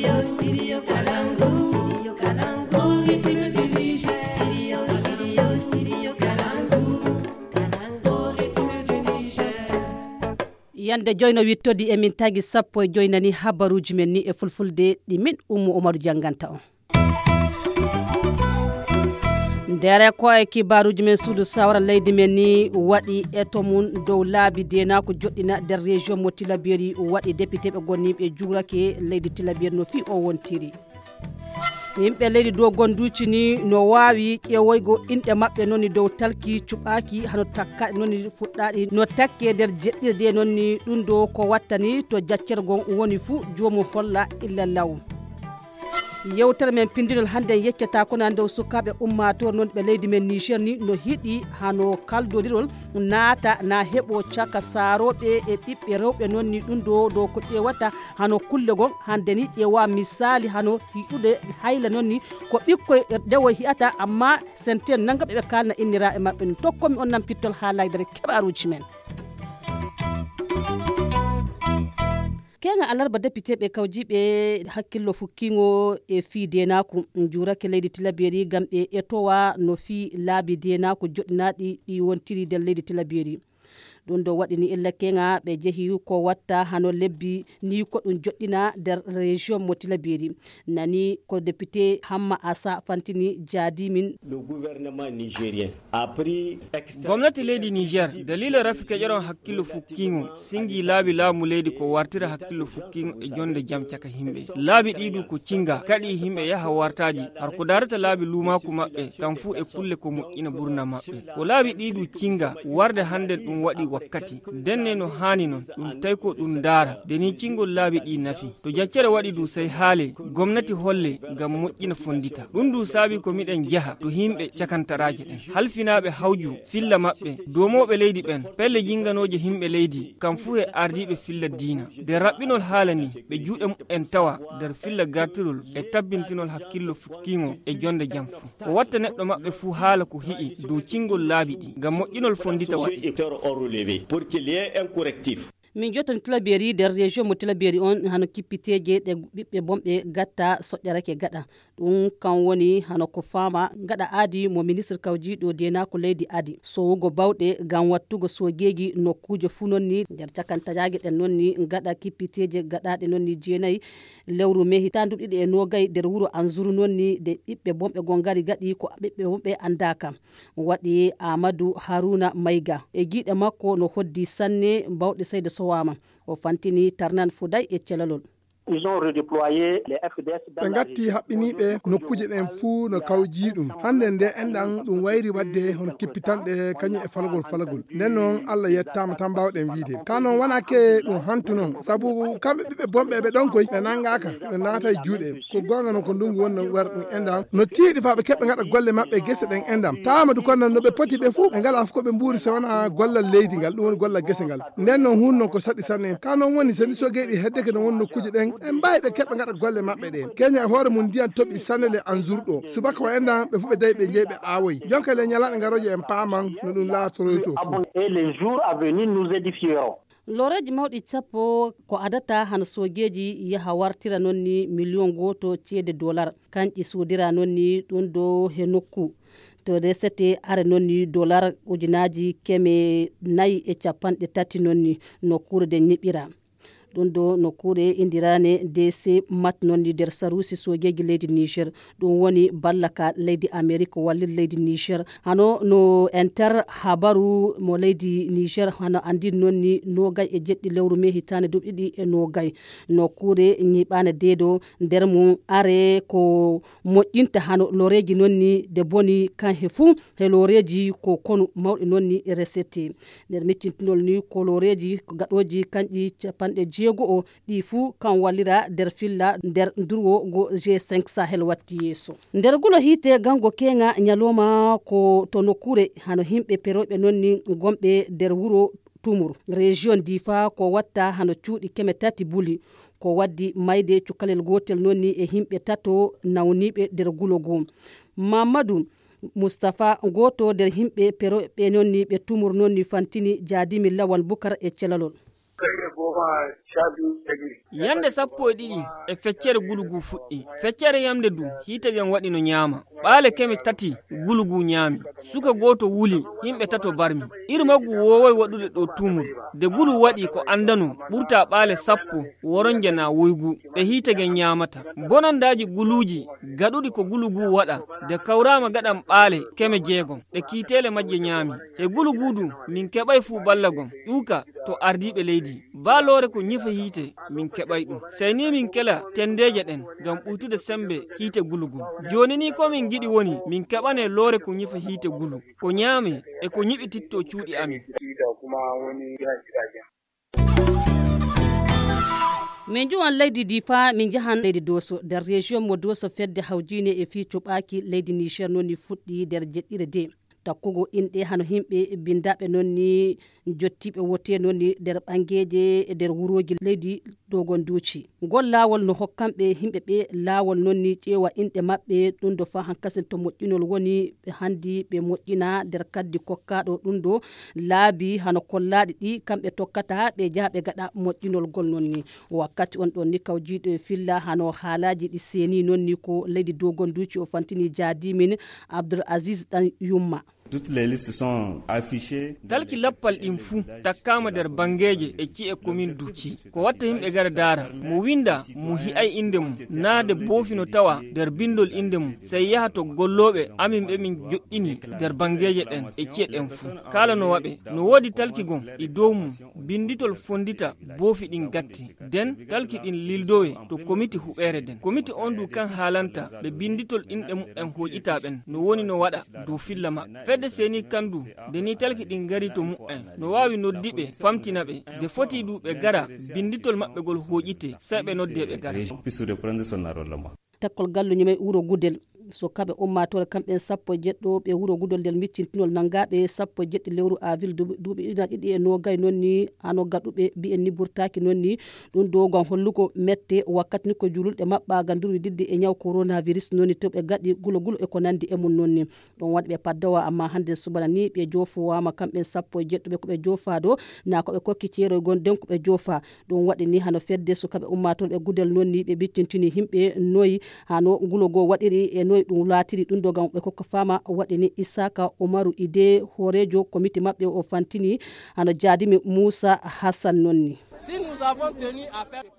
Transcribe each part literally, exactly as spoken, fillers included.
Studio, studio Kalangu, studio Kalangu, rythme du Niger. Studio, studio, studio Kalangu, Kalangu, rythme du Niger. Yande joyno wittodi emin tagi sappo e joynani habaruji men ni e fulfulde ɗi min Ummu Umaru janganta on. Dere ko e kibaruji men suudu sawra leydi men ni waɗi eto mun dow laabi dena ko joɗɗina der région mo Tilaberi waɗi député ɓe gonniɓe juurake leydi Tilaberi no fi o wontiri. Yimɓe leydi dow gonduci ni no wawi ƴewoygo inɗe maɓɓe nonni dow talki cuɓaki hano takka nonni fuɗɗaɗi no takke der jeɗɗirde nonni ɗum do ko wattani to jaccergon woni fu jomum holla illa law. Yewtere men pindinol hande yeccata ko nan dow sukaɓe ummator non ɓe leydi men Niger ni no hiɗi hano kaldodirol naata na heɓo caka saroɓe e ɓiɓɓe rewɓe nonni ɗum do dow ko ƴewata hano kulle gon hande ni ƴewa misali hano hiɗude hayla nonni ko ɓikkoy dewo hiyata amma senten nangaɓe ɓe kalna innira e maɓɓe ni tokkomi on nan pittol haalaydere keɓaruji men. Kenga alarba député ɓe kawjiɓe hakkillo fukkingo e fi denaku jurake leydi Tilaberi gam ɓe etowa no fi laabi denaku joɗɗinaɗi ɗi wontiri del leydi Tilaberi. ɗum do waɗini illa kenga ɓe jeehi ko watta hano lebbi ni ko ɗum joɗɗina der région mo Tilaberi nani ko député Hamma Asa fantini jaadimin. Le gouvernement nigérien a pris gwamnati leydi Niger dalila rafika jaron hakkillo fukkingo singi laabi laamu leydi ko wartira hakkillo fukkingo e jonde jam caka himɓe laabi ɗiɗu ko cinga kadi himɓe yaha wartaji har ko darata laabi lumaku maɓɓe kam fu e kulle ko moƴƴina burna maɓɓe ko laabi ɗiɗu cinga warde hande ɗum waɗi wakkati denne no hani non ɗum tawi ko ɗum daara deni cingol laabi ɗi nafi to jaccere waɗi du sey haale gomnati holle ngam moƴƴina fondita ɗum du saabi ko miɗen jeeha to himɓe cakantaraje ɗen halfinaɓe hawju filla maɓɓe domoɓe leydi ɓen pelle jinganoje himɓe leydi kam fu e ardiɓe filla diina de raɓɓinol haala ni ɓe juuɗe en tawa nder filla gartirol e tabbintinol hakkillo fukkingo e jonde jam fu ko watta neɗɗo maɓɓe fu haala ko hi'i dow cingol laabi ɗi ngam moƴƴinol fondita waɗi pour qu'il y ait un correctif. Min joton Tilaberi der région mo Tilaberi on hano kippiteje ɗe ɓiɓɓe bomɓe gatta soƴƴarake gaɗa ɗum kan woni hano ko fama gaɗa aadi mo ministre kawjiɗo dena ko leydi adi sowugo bawɗe gam wattugo sogeji nokkuje fu nonni nder cakantajague ɗen nonni gaɗa kippiteje gaɗaɗe nonni jeenayyi lewru mai hitandu ɗiɗi e nogay nder wuuro Anzuru nonni de ɓiɓɓe bomɓe gon gari gaɗi ko ɓiɓɓe bomɓe andaka waɗi Amadou Haruna Mayga e giɗe makko no hoddi sanne bawɗe sayde sowama o fantini Tarnan Fouday e celalol. Ils ont redéployé les F D S dans la gatti haɓɓiniɓe nokkuje ɗen fuu no kawji ɗum hande nde enɗan ɗum wayri wadde hono kippitanɗe kañum e falagol falagol nden noon Allah yettama tan mbawɗen wiide ka noon wonake ɗum hantu noon saabu kamɓe ɓiɓɓe bomɓe ɓe ɗon koy ɓe nangaka ɓe naata e juuɗe ko gonga noon ko ndungu woni no wara ɗum enɗan no tiiɗi fa ɓe keɓɓe gaɗa golle mabɓe guese ɗen enɗam tawamadu kono no ɓe poti ɓe fuu ɓe ngala fof koɓe mbuuri so wona gollal leydi ngal ɗum woni gollal guese ngal nden noon hunde noon ko saɗi sanne ka noon woni so ni sogueɗi heddeke no woni nokkuje ɗen en mbawi ɓe keɓɓe gaɗa golle maɓɓe ɗen keña e hoore mum ndiyan toɓi sannele Anzuru ɗo subaka o endan ɓe fu ɓe dayi ɓe jeeyi ɓe awoyi jonka le ñalaɗe garoje en paaman no ɗum laatoroy to fu et les jours à venir nous édifierons. Loreji mawɗi sappo ko adata hano sogeji yaha wartira nonni million goto ceede dollar kanƴi sodira nonni ɗum do he nokku to resete are nonni dollar ujunaji keme nayi e capanɗe tati nonni nokkure de ñiɓira ɗum do nokkure indirane D C mat nonni der sarusi sojeji leydi Niger ɗum woni ballaka leydi Amerique wallir leydi Niger hano no enter habaru mo leydi Niger hano andi nonni nogay e jeɗɗi lewru me hitane duɓɗiɗi e nogay nokkure ñiɓane deedo nder mum are ko moƴƴinta hano loreji nonni de boni kan he fu he loreji ko konu mawɗi nonni resete nder miccintinol ni ko loreji ko gaɗoji kanƴi capanɗe jeego o ɗi fuu kan wallira nder filla nder durwo go G cinq Sahel watti yeeso nder gulo hiite gango kenga nyaloma ko to nokkure hano himɓe peroɓe nonni gomɓe nder wuro Tumur région Difa ko watta hano cuuɗi keme tati buli ko waddi mayde cukalel gotel nonni e himɓe tato nawniɓe nder gulo go Mamadou Mustafa goto nder himɓe peroɓe nonni ɓe Tumur nonni fantini jaadimi Lawan Bukar e celalol. yande sappo e ɗiɗi e feccere gulugu fuɗɗi feccere yamde du hitegen waɗi no ñaama ɓaale keme tati gulugu ñaami suka goto wuli himɓe tato barmi iri maggu wowoy waɗude ɗo tumur de gulu waɗi ko andano ɓurta ɓaale sappo woronje na woygu ɗe hitegen ñaamata bonandaji guluji gaɗuɗi ko gulugu waɗa de kawrama gaɗan ɓaale keme jeegom ɗe kiitele majje ñaami e gulugu du min keɓay fuu ballagom ƴuuka to ardiɓe leydi baalore ko ñifa hiite min keɓay ɗum sey ni min kela tendeje ɗen ngam ɓuytude sembe hiite gulugu joni ni ko min giɗi woni min keɓane loore ko ñifa hiite gulu ko ñaame e ko ñiɓititto cuuɗi amin min juwan leydi difa min jahan leydi doso nder région mo doso fedde hawjine e fi cuɓaki leydi niger nonni fuɗɗi nder jeɗɗire de takkugo inɗe hano himɓe bindaɓe nonni jottiɓe wote nonni nder ɓangueje e nder wuroji leydi dogon duuci ngol laawol no hokkanɓe himɓe ɓe laawol nonni ƴeewa inɗe maɓɓe ɗum do fa hankasen to moƴƴinol woni ɓe handi ɓe moƴƴina nder kaddi kokkaɗo ɗum do laabi hano kollaɗi ɗi kamɓe tokkata ɓe jaaha ɓe gaɗa moƴƴinol gol nonni wakkati on ɗon ni kawjiɗo e filla hano haalaji ɗi seeni nonni ko leydi dogon duuci o fantini jaadimin Abdoul Aziz Dan Yumma. Toutes les listes sont affichées. Talki lappal ɗin fuu takkama nder bangeje e ci'e commune Duuci ko watta himɓe gara dara mo winda mo hi'ay inde mum naade boofino tawa nder bindol inde mum sey yaha to golloɓe amin ɓe min joɗɗini nder bangeje ɗen e ci'e ɗen fuu kala no waɓe no woodi talki gon ɗi dow mum binditol fondita boofi ɗin gatti den talki ɗin lildowe to komiti huɓere den komiti on du kan haalanta ɓe binditol inɗe mum en hoƴita ɓen no woni no waɗa dow filla maɓɓe de seni kandu de ni talki ɗin gari to mu'en no wawi noddiɓe famtina ɓe de foti du ɓe gara binditol maɓɓe gol hoƴite sai ɓe nodde ɓe gara takkol gallu ñume wuro Gudel so kaɓe ummatore kamɓen sappo e jeɗɗo ɓe wuro Gudel nder miccintinol nangaɓe sappo e jeɗɗi lewru avril duuɓi ina ɗiɗi e nogay nonni hano gaɗuɓe mbi'en ni burtaki nonni ɗum do gam hollugo mette wakkati ni ko jululɗe maɓɓa ganduru diddi e ñaw coronavirus nonni to ɓe gaɗi gulo gulo e ko nandi e mum nonni ɗon waɗi ɓe paddawa amma hande subana ni ɓe jofowama kamɓen sappo e jeɗɗo ɓe koɓe jofa do na koɓe kokki ceeroy gon den koɓe jofa ɗum waɗi ni hano fedde so kaɓe ummatore ɓe Gudel nonni ɓe biccintini himɓe noyi hano gulo go waɗiri e noyi ɗum laatiri ɗum do gam ɓe kokka fama waɗini Isaka Omaru Ide horejo komiti maɓɓe o fantini hano jaadimi Moussa Hassan nonni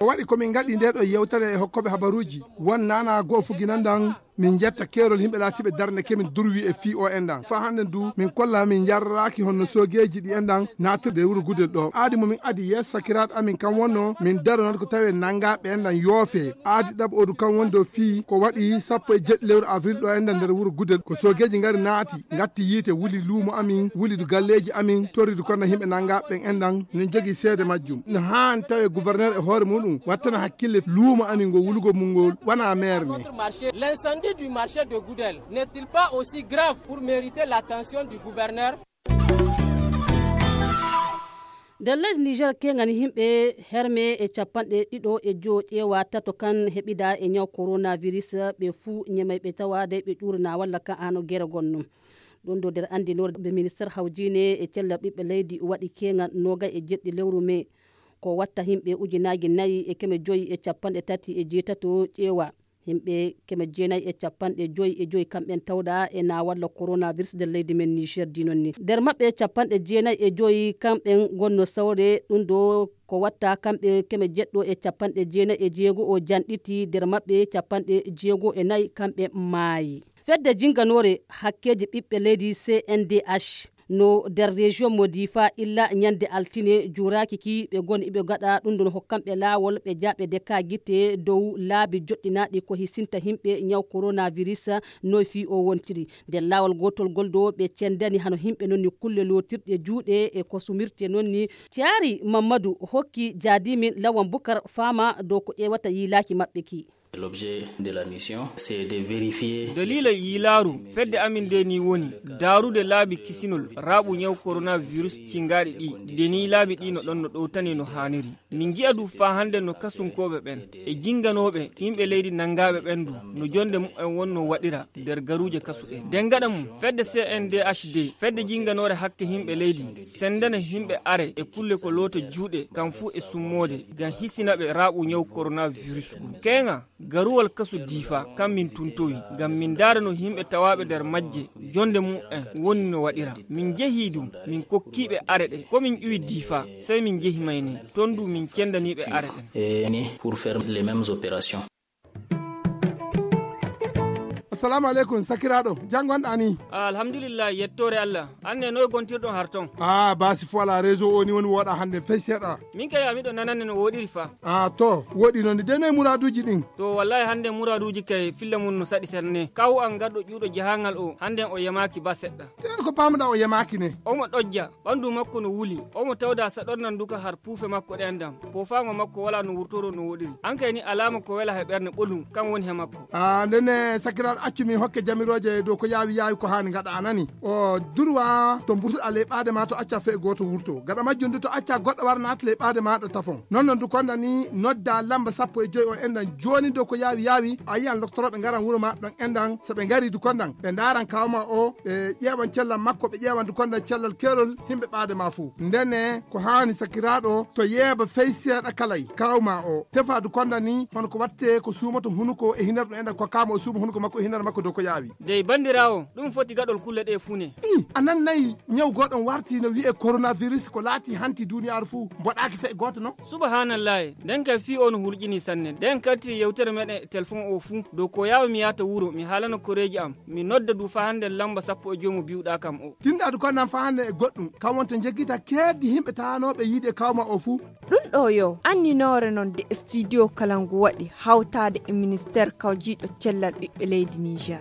o waɗi komin gaɗi nde ɗo yewtere e hokkoɓe habaruji won nana goho fuginandan min jetta kerol himɓe laatiɓe darne kemin durwi e fi o endan fa hande du min kolla min jarraki honno sogeji ɗi endan natirde wuro Gudel ɗo aadi momin adi yes sakiraɗo amin kam wonno min daronat ko tawi nangaɓe endan yoofe aadi ɗaɓ odu kam woni dow fi ko waɗi sappo e jeɗɗi lewru avril ɗo endan nder wuro Gudel ko sogeji gari naati gatti yiite wuli luumo amin wuli du galleji amin torridu kono himɓe nangaɓe endan min jogui seede majjum no hani tawi gouverneur e hoore muɗum wattana hakkille luumo amin ngo wulugo mum ngol wana maire ni l'incendie du marché de Goudel n'est-il pas aussi grave pour mériter l'attention du gouverneur? nder leydi Niger kengani himɓe herme e capanɗe ɗiɗo e jo ƴeewa tato kan heɓida e ñaw coronavirus ɓe fuu ñemay ɓe tawade ɓe ƴurna walla ka ano guere gonno ɗum do nder andinore ɓe ministére hawjine e cella ɓiɓɓe leydi waɗi kengal noga e jeɗɗi lewru mai ko watta himɓe ujunaji nayyi e keme joyi e capanɗe tati e jeetato ƴeewa himɓe keme jeenayyi e capanɗe joyi e joyi kamɓen tawɗa e na walla coronavirus nder leydi men Niger dinon ni nder maɓɓe capanɗe jeenayyi e joyi kamɓen gonno sawre ɗum do ko watta kamɓe keme jeɗɗo e capanɗe jeenayyi e jeego o janɗiti nder maɓɓe capanɗe jeego e nayyi kamɓe maayi fedde jinganore hakkeji ɓiɓɓe leydi C N D H no nder région mo Difa illa ñande altine juraki ki ɓe goni ɓe gaɗa ɗum ɗon hokkamɓe laawol ɓe jaɓe de ka guite dow laabi joɗɗinaɗi ko hisinta himɓe ñaw coronavirus noy fi o wontiri nder laawol gotol goldo ɓe cendani hano himɓe nonni kulle lotirɗe juuɗe e ko sumirte nonni Thiari Mamadou hokki jaadimin Lawan Bukar fama dow ko ƴewata yilaki maɓɓe ki L'objet de la mission, c'est de vérifier. Dalila yilaru fedde amin de ni woni darude laabi kisinol rabu nyaw coronavirus cingaadi di deni laabi di no don no dowtani no haniri min gi'a du fa hande no kasunkobe ben e jinganobe himbe leydi nangabe bendu no jonde mu en wonno wadira der garuje kasude den gada mum fedde C N D H D fedde jinganore hakke himbe leydi sendana himbe are e kulle ko loto juude kam fu e summode gan hisinabe rabu nyaw coronavirus kenga garuwal kasu difa kam min tuntoyi gam min dara no himbe tawabe der majje jonde mu en wonni no wadira min jehi dum min kokkibe arede ko min iwi difa sey min jehi mayni tondu min kendanibe arede et pour faire les mêmes opérations. Assalamu alaikum sakiraɗo jangon ani alhamdulillah yettore Allah anne noy gontirɗon harton ah basi fo ala réseau oni woni woɗa hande fay seeɗa min kay amiɗo nananne no woɗiri fa ah to woɗi noon de noy muraduji ɗin to wallahi hande muraduji kay filla mum no saɗi serne kaw an gaɗɗo ƴuuɗo jahangal o hande o yamaki ba seɗɗa te ko pamuɗa o yamaki ne omo ɗojja ɓandu makko no wuli omo tawda saɗornan duka har puufe makko ɗendam po famo makko wala no wurtoro no woɗiri an kay ni alama ko wela he ɓerde ɓolum kam woni he makko ah ndene sakiraɗo accumi hokke jamiroje dow ko yaawi yaawi ko hani gaɗa anani o durwa to burtuɗa leɓade ma to acca fe goto wurto gaɗa majjum to acca goɗɗo war nata leɓade maɗa tafon non noon du konda ni nodda lamba sappo e joyi o endan joni dow ko yaawi yaawi a yiyan doctoroɓe garan wuuro ma ɗon endan soɓe gari du kondan ɓe daran kawma o ɓe ƴeewan cellal makko ɓe ƴeewan du kondan cellal kerol himɓe ɓaade ma fuu ndene ko hani sakiraɗo to yeeba fey seeɗa kalay kawma o tefa du konda ni hono ko watte ko suumato hunuko e hinar ɗum endan ko kama o suuma hunuko makko e hinar makko dow ko yaawi dey bandirawo ɗum foti gaɗol kulle ɗe fune i anan nayi ñaw goɗon warti no wi'e coronavirus ko laati hanti duniyaru fuu mboɗaki fe goto no subhanallahi nden kay fi on hulƴini sanne nden karti yewtere meɗen téléphone o fuu dow ko yawa mi yata wuuro mi haalana koreji am mi nodda du fa hande lamba sappo e joyi biwɗa kam o tinɗa du konnan fa hande e goɗɗum kam wonto jeggita keddi himɓe tanoɓe yiide e kawma o fuu ɗum ɗo yo anninore noon de studio kalangu waɗi hawtade e ministére kawjiɗo cellal ɓiɓɓe leydi Niger.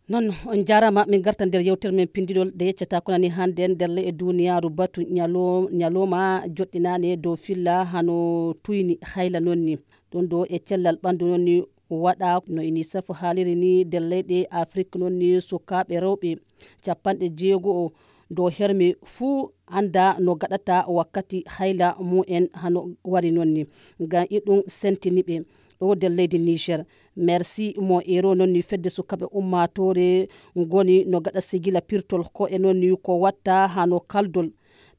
non on jarama min garta nder yewtere men pindiɗol de yeccata ko nani hande nder le e duniyaru batu nyalo nyaloma joɗɗinani dow filla hano tuyni hayla nonni ɗon do e cellal ɓandu nonni waɗa no unicef haaliri ni nder leyɗe afrique nonni sukaɓe rewɓe capanɗe jeego dow hermi fuu anda no gaɗata wakkati hayla mu'en hano wari nonni ngam iɗum sentiniɓe ɗo nder leydi Niger. Merci mo ero nonni fedde sukaɓe ummatore ngoni no gaɗa sigila pirtol ko e nonni ko watta hano kaldol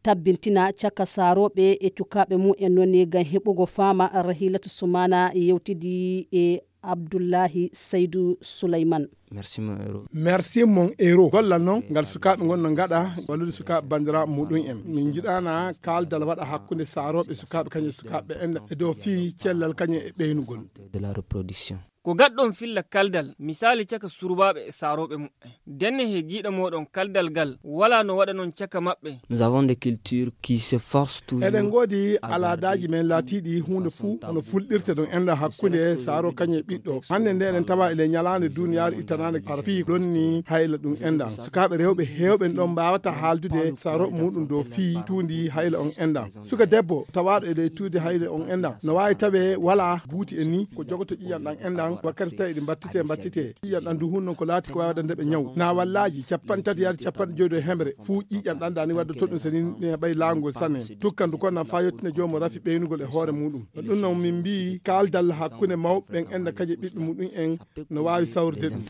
tabbintina caka saroɓe e cukaɓe mu'en nonni ngam heɓugo fama Rahilatu Sumana yewtidi e Abdullahi Seydou Souleymane. Merci mon héros. Merci mon héros. Gollal noon ngal sukaɓe gonno gaɗa wallude sukaɓe bandira muɗum en min jiɗana kaldal waɗa hakkude saroɓe sukaɓe kañum sukaɓe en e dow fi cellal kañum e ɓeynugol de la reproduction. ko gaɗɗon filla kaldal misali caka surbaɓe e saroɓe muɓɓe denne he giɗa moɗon kaldal gal wala no waɗa non caka maɓɓe. Nous avons des cultures qui se forcent toujours. eɗen godi aladaji men laatiɗi hunde fuu ono fulɗirte ɗon enda hakkude saro kañe ɓiɗɗo hande nde eɗen tawa ele ñalande duniyaru ittanande ara fi ɗonni hayla ɗum enda sukaɓe rewɓe hewɓe ɗon mbawata haaldude saroɓe muɗum dow fi tundi hayla on enda suka debbo tawaɗo ele tuude hayla on enda no wawi tawe wala guuti en ni ko jogoto ƴiyan ɗan endan wakkati tawi ɗi battite battite ƴiƴan ɗan du hunnon ko laati ko wawi waɗande ɓe ñaw na wallaji capan tati yaade capanɗe joyi ɗo hemre fuu ƴiƴan ɗan dani wadde toɗɗum soni ne ɓay laawgol sanne tukkandu konnan fa yettine jomum rafi ɓeynugol e hoore muɗum ɗum noon min mbi kaldal hakkude mawɓe ɓen enda kaji ɓiɓɓe muɗum en no wawi sawrude ɗum.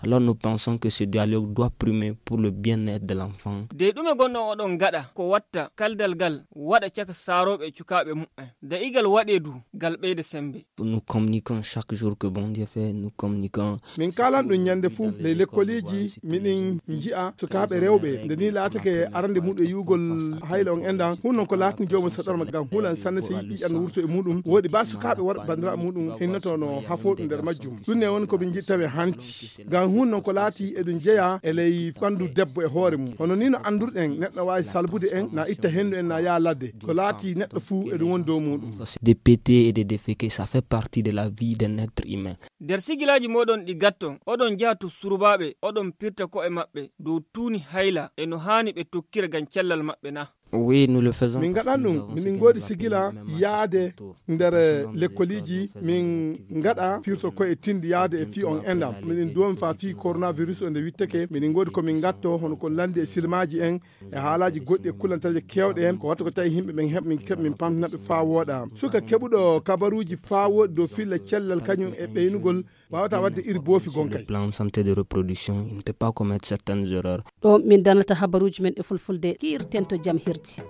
Alors nous pensons que ce dialogue doit primer pour le bien-être de l'enfant. De ɗume gonɗon oɗon gaɗa ko watta kaldal gal waɗa caka saroɓe cukaɓe mu'en da igal waɗe du gal ɓeyde sembe. Nous communiquons chaque jour que bon Dieu fait, nous communiquons. Min kalan ɗum ñande fuu ley lekkoliji miɗin jiya sukaɓe rewɓe nde ni laatake arande muɗum e yugol hayla on endan hunnon ko laatni jomum saɗorma gam hulan sanne so yiɗi ƴan wurto e muɗum woɗi ba sukaɓe worɓe bandiraɓe muɗum hinnoto no hafoɗum nder majjum ɗum ne woni koɓe jittaɓe hanti gam hunnon ko laati eɗum jeeya e ley ɓandu debbo e hoore mum hono ni no andurɗen neɗɗo wawi salbude en na itta hendu en na yaa ladde ko laati neɗɗo fuu eɗum woni dow muɗum. Des pétés et des déféqués, ça fait partie de la vie d'un être humain. Der sigilaji moɗon ɗi gatton oɗon jaha to surbaɓe oɗon pirta ko e maɓɓe dow tuuni hayla e no hani ɓe tokkira gam cellal maɓɓe na. Oui, nous le faisons. Min gaɗan ɗum min godi sigila yaade nder lekkoliji min gaɗa firto ko e tindi yaade e fi on endam min duwon fa fi coronavirus o nde wittake min godi ko min gatto hono ko landi e silmaji en e haalaji goɗɗi e kulantaje kewɗe en ko watta ko tawi himɓe ɓen heɓ min keɓ min pamtinaɓe fa wooɗa suka keɓuɗo kabaruji fa woɗi dow filla cellal kañum e ɓeynugol wawata wadde iri boofi gonka plan santé de reproduction il ne peut pas commettre certaines erreurs ɗo min danata habaruji men e fulfulde kiirten to jaam hirti.